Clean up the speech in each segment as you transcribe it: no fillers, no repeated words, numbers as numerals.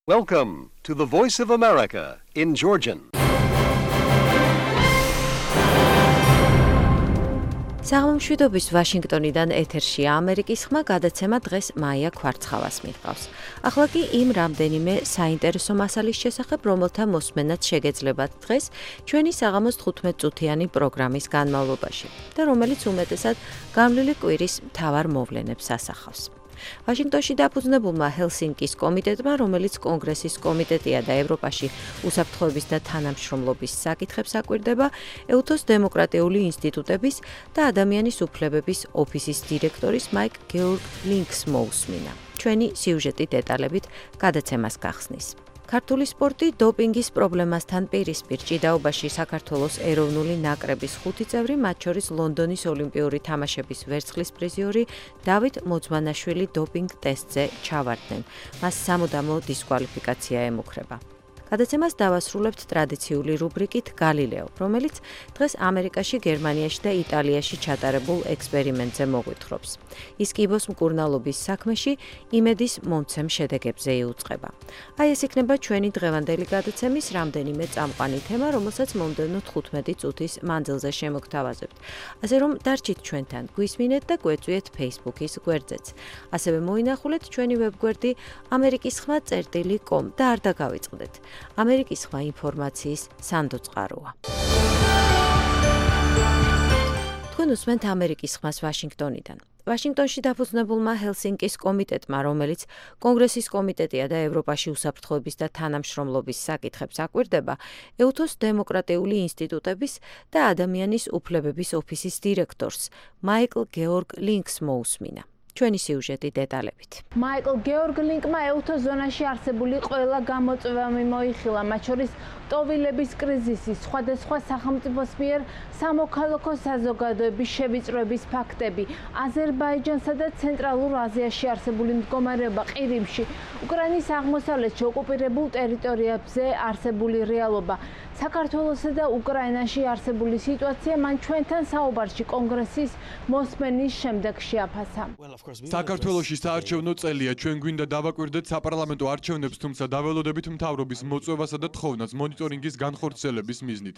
Welcome to the Voice of America in Georgian. საღამომშვიდობის ვაშინგტონიდან ეთერშია ამერიკის ხმა გადაცემა დღეს მაია ქვარცხავას მიჰყავს. ახლა კი იმ რამდენიმე საინტერესო მასალის შესახებ, რომელთა მოსმენაც შეგეძლებათ დღეს ჩვენი საღამოს 15 წუთიანი პროგრამის განმავლობაში და რომელიც უმეტესად გამლილი კვირის მთავარ მოვლენებს ასახავს. ვაშინგტონში დაფუძნებულმა ჰელსინკის კომიტეტმა, რომელიც კონგრესის კომიტეტია და ევროპაში უსაფრთხოების და თანამშრომლობის საკითხებს აკვირდება, ეუთოს დემოკრატიული ინსტიტუტების და ადამიანის უფლებების ოფისის დირექტორის მაიკ გეორგ ლინკს მოусმინა. ჩვენი სიუჟეტი დეტალებით გადაცემას გახსნის. ქართული სპორტი დოპინგის პრობლემასთან პირისპირ ჭიდაობაში საქართველოს ეროვნული ნაკრების 5 წევრი, მათ შორის ლონდონის ოლიმპიური თამაშების ვერცხლის პრიზიორი დავით მოძმანაშვილი დოპინგ ტესტზე ჩავარდნენ. მას სამუდამო დისკვალიფიკაცია ემუქრება. გადაცემას დავასრულებთ ტრადიციული რუბრიკით გალილეო, რომელიც დღეს ამერიკაში, გერმანიაში და იტალიაში ჩატარებულ ექსპერიმენტზე მოგვითხრობს. ის კიბოს მკურნალობის საქმეში იმედის მომცემ შედეგებზე იუწყება. აი ეს იქნება ჩვენი დღევანდელი გადაცემის რამდენიმე წამყვანი თემა, რომელსაც მომდევნო 15 წუთის მანძილზე შემოგთავაზებთ. ასე რომ დარჩით ჩვენთან, გვისმინეთ და გვეწვიეთ Facebook-ის გვერდზეც. ასევე მოინახულეთ ჩვენი ვებგვერდი amerikisxma.com და არ დაგავიწყდეთ. ამერიკის ხმა ინფორმაციის სანდო წყაროა. თქვენ უსმენთ ამერიკის ხმას ვაშინგტონიდან. ვაშინგტონში დაფუძნებულმა ჰელსინკის კომიტეტმა, რომელიც კონგრესის კომიტეტია და ევროპაში უსაფრთხოების და თანამშრომლობის საკითხებს აკვირდება, ეუთოს დემოკრატიული ინსტიტუტების და ადამიანის უფლებების ოფისის დირექტორს, მაიკლ გეორგ ლინკს მოусმინა. ჩვენი სიუჟეტი დეტალებით. მაიკლ გეორგ ლინკმა ეუთოს ზონაში არსებული ყველა გამოწვევა მოიხილა, მათ შორის ტოვილების კრიზისი, სხვადასხვა სახელმწიფოს მიერ სამოქალაქო საზოგადოების შევიწროების ფაქტები, აზერბაიჯანსა და ცენტრალურ აზიაში არსებული მდგომარეობა ყირიმში, უკრაინის აღმოსავლეთში ოკუპირებულ ტერიტორიებზე არსებული რეალობა, საქართველოსა და უკრაინაში არსებული სიტუაცია მან ჩვენთან საუბარში კონგრესის მოსმენის შემდეგ შეაფასა. საქართველოში საარჩევნო წელია, ჩვენ გვინდა დავაკვირდეთ საპარლამენტო არჩევნებს, თუმცა დაველოდებით მთავრობის მოწვევასა და თხოვნას მონიტორინგის განხორციელების მიზნით.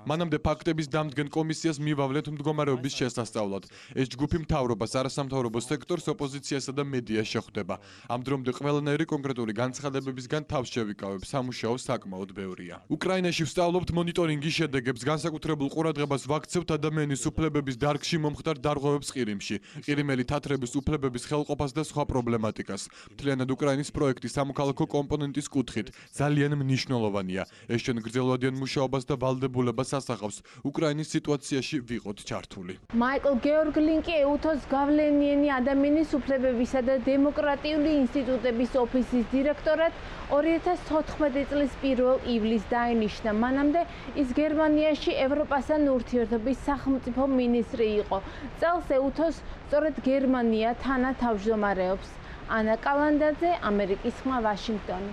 მანამდე ფაქტების დამდგენ კომისიას მივავლეთ მდგომარეობის შესასწავლად. ეს ჯგუფი მთავრობას, არასამთავრობო სექტორს, ოპოზიციასა და მედიას შეხვდება. ამ დრომდე ყველანაირი კონკრეტული განცხადებებისგან თავს შევიკავებ, სამუშაო საკმაოდ ბევრია. უკრაინაში ვსწავლობთ მონიტორინგის შედეგებს, განსაკუთრებულ ყურადღებას ვაქცევთ ადამიანის უფლებების დარგში მომხდარ დარღვევებს ყირიმში, ყირიმელი თათრების უფლებების ხელყოფას და სხვა პრობლემატიკას. მთლიანად უკრაინის პროექტი სამოქალაქო კომპონენტის კუთხით ძალიან მნიშვნელოვანია. ეს ჩვენ გრძელვადიან მუშაობას და ვალდებულებას ასახავს უკრაინის სიტუაციაში ვიყოთ ჩართული. მაიკლ გეორგ ლინკი ეუთოს გავლენიანი ადამიანის უფლებებისა და დემოკრატიული ინსტიტუტების ოფისის დირექტორად 2014 წლის 1 ივლისს დაინიშნა. მანამდე ის გერმანიაში ევროპასთან ურთიერთობის სახელმწიფო მინისტრი იყო. წელს ეუთოს სწორედ გერმანია თანათავმჯდომარეობს. ანა კალანდაძე, ამერიკის ხმა, ვაშინგტონი.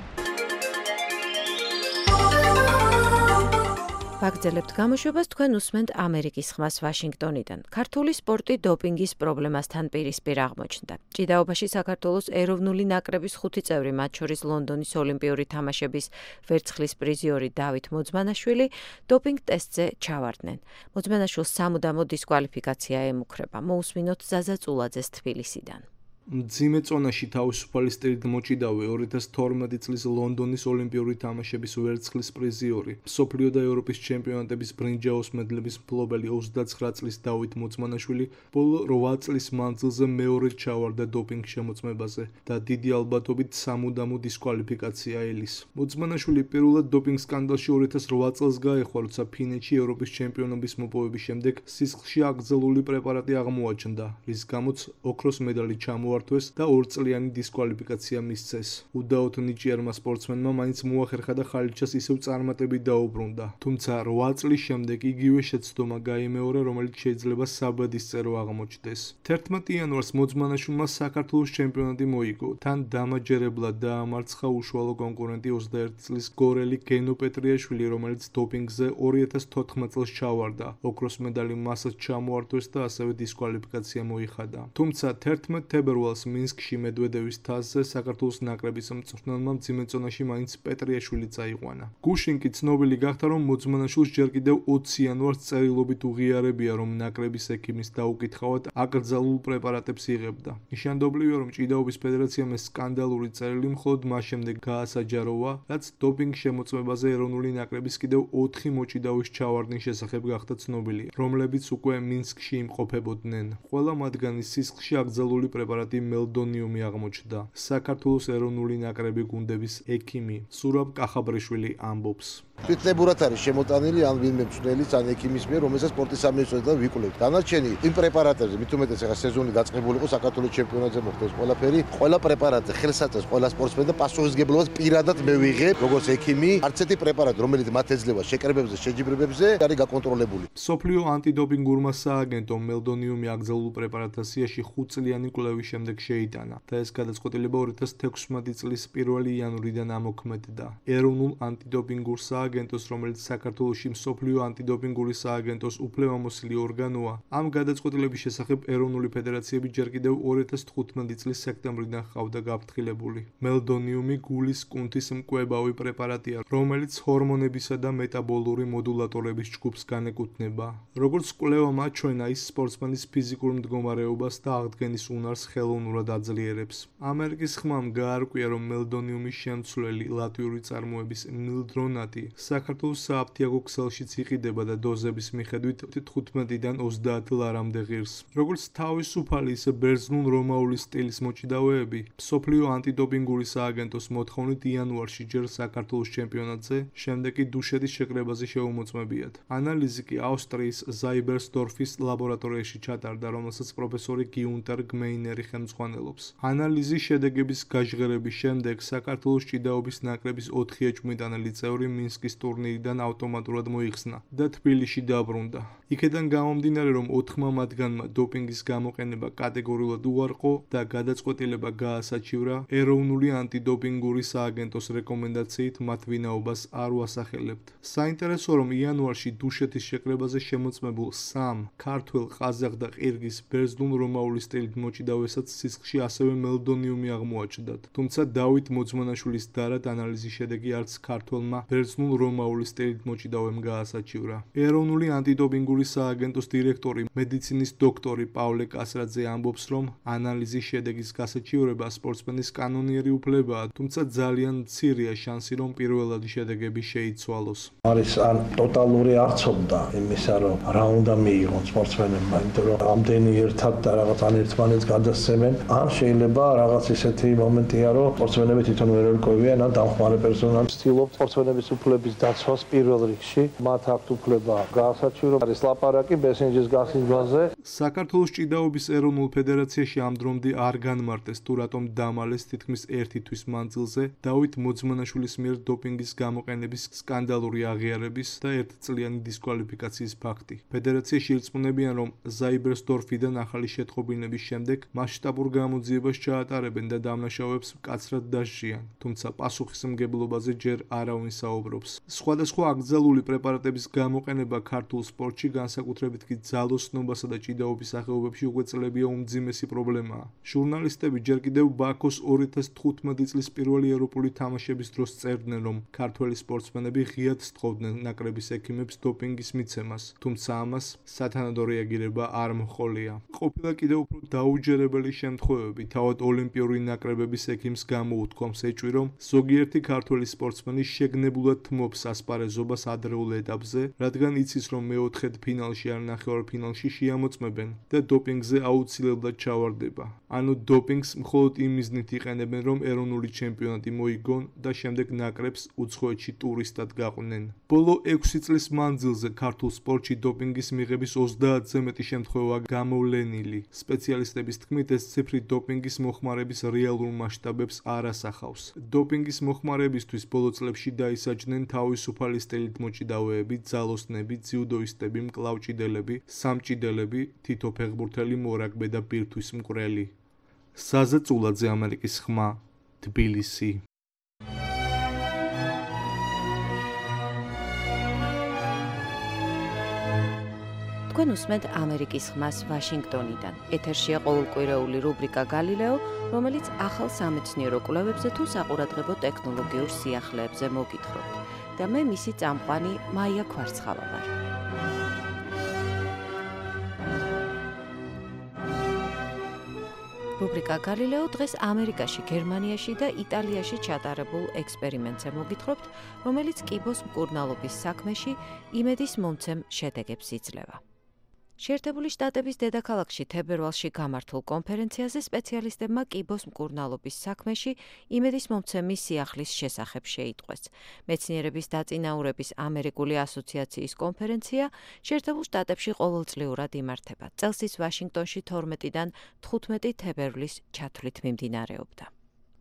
ვაგრძელებთ გამოშვებას, თქვენ უსმენთ ამერიკის ხმას ვაშინგტონიდან. ქართული სპორტი დოპინგის პრობლემასთან პირისპირ აღმოჩნდა. ჭიდაობაში საქართველოს ეროვნული ნაკრების 5 წევრი, მათ შორის ლონდონის ოლიმპიური თამაშების ვერცხლის პრიზიორი დავით მოძმანაშვილი დოპინგ ტესტზე ჩავარდნენ. მოძმანაშვილს სამუდამო დისკვალიფიკაცია ემუქრება. მოусმინოთ ზაზა წულაძეს თბილისიდან. მძიმე წონაში თავისუფალი სტილით მოჭიდავე 2012 წლის ლონდონის ოლიმპიური თამაშების ვერცხლის პრიზიორი, მსოფლიო და ევროპის ჩემპიონატების ბრინჯაოს მედლების მფლობელი 29 წლის დავით მოძმანაშვილი ბოლო 8 წლის მანძილზე მეორედ ჩავარდა დოპინგ შემოწმებაზე და დიდი ალბათობით სამუდამო დისკვალიფიკაცია ელის. მოძმანაშვილი პირველად დოპინგ სკანდალში 2008 წელს გაეხვა, როცა ფინეთში ევროპის ჩემპიონობის მოპოვების შემდეგ სისხლში აკრძალული პრეპარატი აღმოაჩნდა, რის გამოც ოქროს медаლი ჩამოართვეს და 2 წლიანი დისკვალიფიკაცია მისცეს. უდაოდ ნიჭიერმა სპორტსმენმა მაინც მოახერხა და ხალიჩას ისევ წარმატებით დაუბრუნდა. თუმცა 8 წლის შემდეგ იგივე შეცდომა გაიმეორა, რომელიც შეიძლება საბედისწერო აღმოჩნდეს. 11 იანვარს მოძმანაშვილმა საქართველოს ჩემპიონატი მოიგო. თან დამაჯერებლად დაამარცხა უშუალო კონკურენტი 21 წლის გორელი გენო პეტრიაშვილი, რომელიც დოპინგზე 2014 წელს ჩავარდა. ოქროს медаლი მასაც ჩამოართვეს და ასევე დისკვალიფიკაცია მოიხადა. თუმცა 11 თებერვალს ფესტივალს მინსკში მედვედევის თასზე საქართველოს ნაკრების მწვრთნელმა მძიმე წონაში მაინც პეტრიაშვილი წაიყვანა. გუშინ კი ცნობილი გახდა, რომ მოძმანაშვილს ჯერ კიდევ 20 იანვარს წერილობით უღიარებია, რომ ნაკრების ექიმის დაუკითხავად აკრძალულ პრეპარატებს იღებდა. ნიშანდობლივია, რომ ჭიდაობის ფედერაციამ ეს სკანდალური წერილი მხოლოდ მას შემდეგ გაასაჯაროვა, რაც დოპინგ შემოწმებაზე ეროვნული ნაკრების კიდევ 4 მოჭიდაობის ჩავარდნის შესახებ გახდა ცნობილი, რომლებიც უკვე მინსკში იმყოფებოდნენ. ყველა მათგანის სისხლში აკრძალული პრეპარატი მელდონიუმი აღმოჩნდა. საქართველოს ეროვნული ნაკრები გუნდების ექიმი სურაბ კახაბრიშვილი ამბობს. თვითნებურად არის შემოტანილი ან ვინმე მწვრთნელის ან ექიმის მიერ, რომელსაც სპორტის სამინისტროდან ვიკვლევთ. დანარჩენი იმ პრეპარატებზე, მით უმეტეს ახლა სეზონი დაწყებული იყო საქართველოს ჩემპიონატზე მოხდეს ყველაფერი, ყველა პრეპარატზე ხელსაწყოს ყველა სპორტსმენი და პასუხისმგებლობას პირადად მე ვიღებ, როგორც ექიმი. არც ერთი პრეპარატი, რომელიც მათ ეძლევა შეკრებებზე, შეჯიბრებებზე, არის გაკონტროლებული. მსოფლიო ანტიდოპინგურმა სააგენტომ მელდონიუმი აკრძალულ პრეპარატთა სიაში 5 წლიანი კვლევის შემდეგ შეიტანა და ეს გადაწყვეტილება 2016 წლის 1 იანვრიდან ამოქმედდა. ეროვნულ ანტიდოპინგურ სააგენტოს, რომელიც საქართველოში მსოფლიო ანტიდოპინგური სააგენტოს უფლებამოსილი ორგანოა, ამ გადაწყვეტილების შესახებ ეროვნული ფედერაციები ჯერ კიდევ 2015 წლის სექტემბრიდან ჰყავდა გაფრთხილებული. მელდონიუმი გულის კუნთის მკვებავი პრეპარატია, რომელიც ჰორმონებისა და მეტაბოლური მოდულატორების ჯგუფს განეკუთვნება. როგორც კვლევა მაჩვენა, ის სპორტსმენის ფიზიკურ მდგომარეობას და აღდგენის უნარს ხელოვნურად აძლიერებს. ამერიკის ხმამ გაარკვია, რომ მელდონიუმის შემცვლელი ლატვიური წარმოების მილდრონატი საქართველოს სააფთიაქო ქსელშიც იყიდება და დოზების მიხედვით 15-დან 30 ლარამდე ღირს. როგორც თავისუფალი, ისე ბერძნულ-რომაული სტილის მოჭიდავეები, მსოფლიო ანტიდოპინგური სააგენტოს მოთხოვნით იანვარში ჯერ საქართველოს ჩემპიონატზე, შემდეგ კი დუშეთის შეკრებაზე შეუმოწმებიათ. ანალიზი კი ავსტრიის ზაიბერსდორფის ლაბორატორიაში ჩატარდა, რომელსაც პროფესორი გიუნტერ გმეინერი ხელმძღვანელობს. ანალიზის შედეგების გაჟღერების შემდეგ საქართველოს ჭიდაობის ნაკრების 4 ეჭვმიტანელი წევრი მინსკის ტურნირიდან ავტომატურად მოიხსნა და თბილისში დაბრუნდა. იქედან გამომდინარე, რომ 4 მათგანმა დოპინგის გამოყენება კატეგორიულად უარყო და გადაწყვეტილება გაასაჩივრა, ეროვნული ანტიდოპინგური სააგენტოს რეკომენდაციით მათ ვინაობას არ უასახელებთ. საინტერესოა, რომ იანვარში დუშეთის შეკრებაზე შემოწმებულ 3 ქართველ, ყაზახ და ყირგიზ ბერძნულ-რომაული სტილით მოჭიდავესაც სისხლში ასევე მელდონიუმი აღმოაჩნდათ. თუმცა დავით მოძმანაშვილის დარად ანალიზის შედეგი არც ქართველმა ბერძნულ-რომაული სტილით მოჭიდავემ გაასაჩივრა. ეროვნული ანტიდოპინგური სააგენტოს დირექტორი, მედიცინის დოქტორი პავლე კასრაძე ამბობს, რომ ანალიზის შედეგის გასაჩივრება სპორტსმენის კანონიერი უფლებაა, თუმცა ძალიან მცირეა შანსი, რომ პირველადი შედეგები შეიცვალოს. არის ან ტოტალური არცობდა იმისა, რომ რა უნდა მიიღონ სპორტსმენებმა, იმიტომ რომ ამდენი ერთად და რაღაც ან ერთმანეთს გადასცემენ, ან შეიძლება რაღაც ისეთი მომენტია, რომ სპორტსმენები თვითონ ვერ ერკვევიან, ან დამხმარე პერსონალი ცდილობს სპორტსმენების უფლების დაცვას პირველ რიგში. მათ აქვთ უფლება გაასაჩივროს, არის ლაპარაკი ბესენჯის გასინჯვაზე. საქართველოს ჭიდაობის ეროვნულ ფედერაციაში ამ დრომდე არ განმარტეს, თუ რატომ დამალეს თითქმის 1 თვის მანძილზე დავით მოძმანაშვილის მიერ დოპინგის გამოყენების სკანდალური აღიარების და 1 წლიანი დისკვალიფიკაციის ფაქტი. ფედერაციაში ირწმუნებიან, რომ ზაიბერსდორფიდან ახალი შეტყობინების შემდეგ მასშტაბურ გამოძიებას ჩაატარებენ და დამნაშავეებს მკაცრად დასჯიან, თუმცა პასუხისმგებლობაზე ჯერ არავინ საუბრობს. სხვადასხვა აკრძალული პრეპარატების გამოყენება ქართულ სპორტში, განსაკუთრებით კი ძალოსნობასა და ჭიდაობის სახეობებში უკვე წლებია უმძიმესი პრობლემაა. ჟურნალისტები ჯერ კიდევ ბაქოს 2015 წლის პირველი ევროპული თამაშების დროს წერდნენ, რომ ქართველი სპორტსმენები ღიად სთხოვდნენ ნაკრების ექიმებს დოპინგის მიცემას, თუმცა ამას სათანადო რეაგირება არ მოჰყოლია. ყოფილა კიდევ უფრო დაუჯერებელი შემთხვევები, თავად ოლიმპიური ნაკრებების ექიმს გამოუთქვამს ეჭვი, რომ ზოგიერთი ქართველი სპორტსმენი შეგნებულად თმობს ასპარეზობას ადრეულ ეტაპზე, რადგან იცის, რომ მეოთხედ ფინალში ან ნახევარფინალში შეამოწმებენ და დოპინგზე აუცილებლად ჩავარდება. ანუ დოპინგს მხოლოდ იმ მიზნით იყენებენ, რომ ეროვნული ჩემპიონატი მოიგონ და შემდეგ ნაკრებს უცხოეთში ტურისტად გაყვნენ. ბოლო 6 წლის მანძილზე ქართულ სპორტში დოპინგის მიღების 30-ზე მეტი შემთხვევა გამოვლენილი. სპეციალისტების თქმით, ეს ციფრი დოპინგის მოხმარების რეალურ მასშტაბებს არ ასახავს. დოპინგის მოხმარებისთვის ბოლო წლებში დაისაჯნენ თავისუფალი სტილით მოჭიდავეები, ძალოსნები, ძიუდოისტები, მკლავჭიდელები, სამჭიდელები, თითო ფეხბურთელი, მორაგბე და ბირთვის მკვრელი. საზე წულაძე, ამერიკის ხმა, თბილისი. თქვენ უსმენთ ამერიკის ხმას ვაშინგტონიდან. ეთერშია ყოველკვირეული რუბრიკა გალილეო, რომელიც ახალ სამეცნიერო კვლევებზე თუ საყურადღებო ტექნოლოგიურ სიახლეებზე მოგითხრობთ. და მე მისი წამყვანი მაია ქვარცხავა ვარ. რუბრიკა გალილეო დღეს ამერიკაში, გერმანიაში და იტალიაში ჩატარებულ ექსპერიმენტზე მოგითხრობთ, რომელიც კიბოს მკურნალობის საქმეში იმედის მომცემ შედეგებს იძლევა. შეერთებული შტატების დედაქალაქში თებერვალში გამართულ კონფერენციაზე სპეციალისტებმა კიბოს მკურნალობის საქმეში იმედის მომცემის სიახლის შესახებ შეიტყვეს. მეცნიერების დაწინაურების ამერიკული ასოციაციის კონფერენცია შეერთებულ შტატებში ყოველწლიურად იმართება. წელს ის ვაშინგტონში 12-დან 15 თებერვლის ჩათვლით მიმდინარეობდა.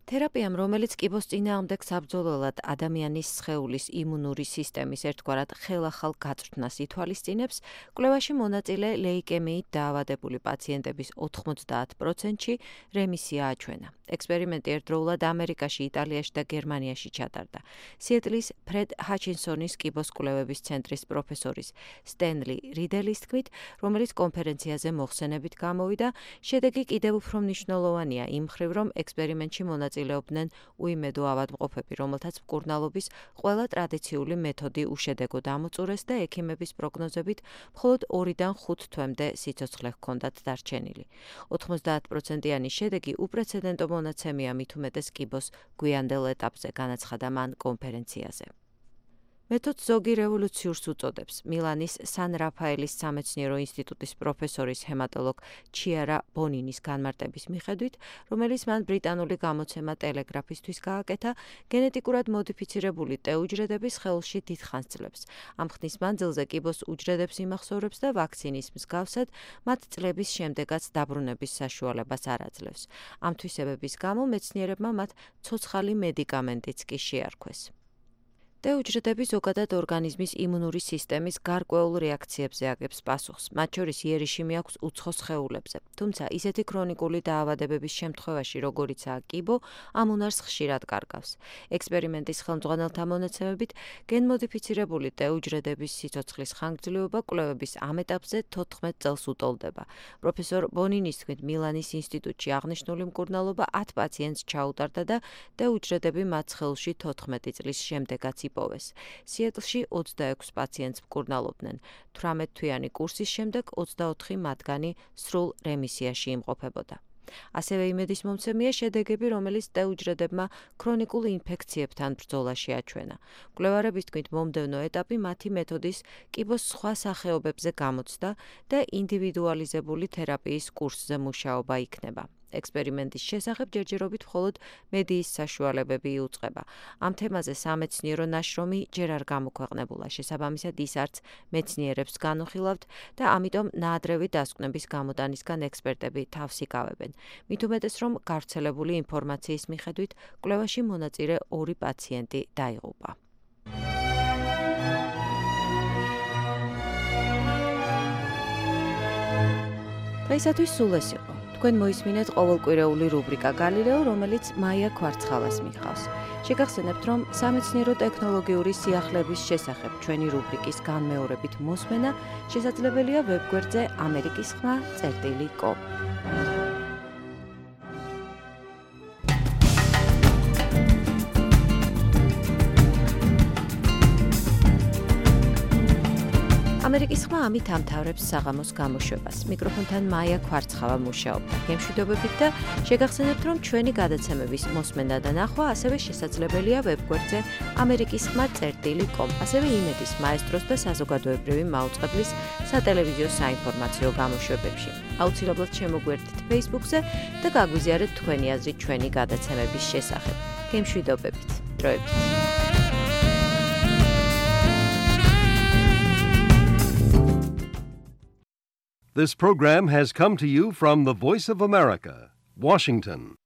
თერაპიამ, რომელიც კიბოს წინააღმდეგ საბრძოლველად ადამიანის სხეულის იმუნური სისტემის ერთგვარად ხელახალ გაწვრთნას ითვალისწინებს, კვლევაში მონაწილე ლეიკემიით დაავადებული პაციენტების 90%-ში რემისია აჩვენა. ექსპერიმენტი ერთდროულად ამერიკაში, იტალიაში და გერმანიაში ჩატარდა. სიეტლის ფრედ ჰაჩინსონის კიბოს კვლევების ცენტრის პროფესორის სტენლი რიდელის თქმით, რომელიც კონფერენციაზე მოხსენებით გამოვიდა, შედეგი კიდევ უფრო მნიშვნელოვანია იმ მხრივ, რომ ექსპერიმენტში მონაწილეობდნენ უიმედო ავადმყოფები, რომელთაც მკურნალობის ყველა ტრადიციული მეთოდი უშედეგო დამოწურეს და ექიმების პროგნოზებით მხოლოდ 2-დან 5 თვემდე სიცოცხლე ჰქონდათ დარჩენილი. 90%-იანი შედეგი უპრეცედენტო მონაცემია მით უმეტეს კიბოს გვიანდელ ეტაპზე, განაცხადა მან კონფერენციაზე. მეთოდს ზოგი რევოლუციურს უწოდებს. მილანის სან რაფაელის სამეცნიერო ინსტიტუტის პროფესორის ჰემატოლოგ ჩიარა ბონინის განმარტების მიხედვით, რომელიც მან ბრიტანული გამოცემა ტელეგრაფისთვის გააკეთა, გენეტიკურად მოდიფიცირებული ტე უჯრედების სხეულში დიდხანს ძლებს. ამ ხნის მანძილზე კიბოს უჯრედებს იმახსოვრებს და ვაქცინის მსგავსად მათ წლების შემდეგაც დაბრუნების საშუალებას არ აძლევს. ამ თვისებების გამო მეცნიერებმა მათ ცოცხალი მედიკამენტიც კი შეარქვეს. ტე უჯრედები ზოგადად ორგანიზმის იმუნური სისტემის გარკვეულ რეაქციებზე აგებს პასუხს, მათ შორის იერიში მიაქვს უცხო სხეულებზე. თუმცა ისეთი ქრონიკული დაავადებების შემთხვევაში, როგორიცაა კიბო, ამ უნარს ხშირად კარგავს. ექსპერიმენტის ხელმძღვანელთა მონაცემებით, გენმოდიფიცირებული ტე უჯრედების სიცოცხლის ხანგრძლივობა კვლევების ამ ეტაპზე 14 წელს უტოლდება. პროფესორ ბონინის თქმით, მილანის ინსტიტუტში აღნიშნული მკურნალობა 10 პაციენტს ჩაუტარდა და ტე უჯრედები მათ სხეულში 14 წლის შემდეგაც იპოვეს. სიეტლში 26 პაციენტს მკურნალობდნენ. 18 თვიანი კურსის შემდეგ 24 მათგანი სრულ რემისიაში იმყოფებოდა. ასევე იმედის მომცემია შედეგები, რომელიც ტე უჯრედებმა ქრონიკულ ინფექციებთან ბრძოლაში აჩვენა. მკვლევარების თქმით, მომდევნო ეტაპი მათი მეთოდის კიბოს სხვა სახეობებზე გამოცდა და ინდივიდუალიზებული თერაპიის კურსზე მუშაობა იქნება. ექსპერიმენტის შესახებ ჯერჯერობით მხოლოდ მედიის საშუალებები იუწყება. ამ თემაზე სამეცნიერო ნაშრომი ჯერ არ გამოქვეყნებულა, შესაბამისად ის არც მეცნიერებს განუხილავთ და ამიტომ ნაადრევი დასკვნების გამოტანისგან ექსპერტები თავს იკავებენ. მით უმეტეს, რომ გავრცელებული ინფორმაციის მიხედვით კვლევაში მონაწილე 2 პაციენტი დაიღუპა. დღეისათვის სულ ეს იყო. თქვენ მოისმინეთ ყოველკვირეული რუბრიკა გალილეო, რომელიც მაია ქვარცხავას მიჰყავს. შეგახსენებთ, რომ სამეცნიერო ტექნოლოგიური სიახლეების შესახებ ჩვენი რუბრიკის განმეორებით მოსმენა შესაძლებელია ვებგვერდზე amerikisxma.com. ამერიკის ხმა ამით ამთავრებს საღამოს გამოშვებას. მიკროფონთან მაია ქვარცხავა მუშაობდა. გემშვიდობებით და შეგახსენებთ, რომ ჩვენი გადაცემების მოსმენა და ნახვა ასევე შესაძლებელია ვებგვერდზე amerikisxma.com. ასევე იმედის მაესტროს და საზოგადოებრივი მაუწყებლის სატელევიზიო საინფორმაციო გამოშვებებში. აუცილებლად შემოგვერთით Facebook-ზე და გაგვიზიარეთ თქვენი აზრი ჩვენი გადაცემების შესახებ. გემშვიდობებით. დროებით. This program has come to you from the Voice of America, Washington.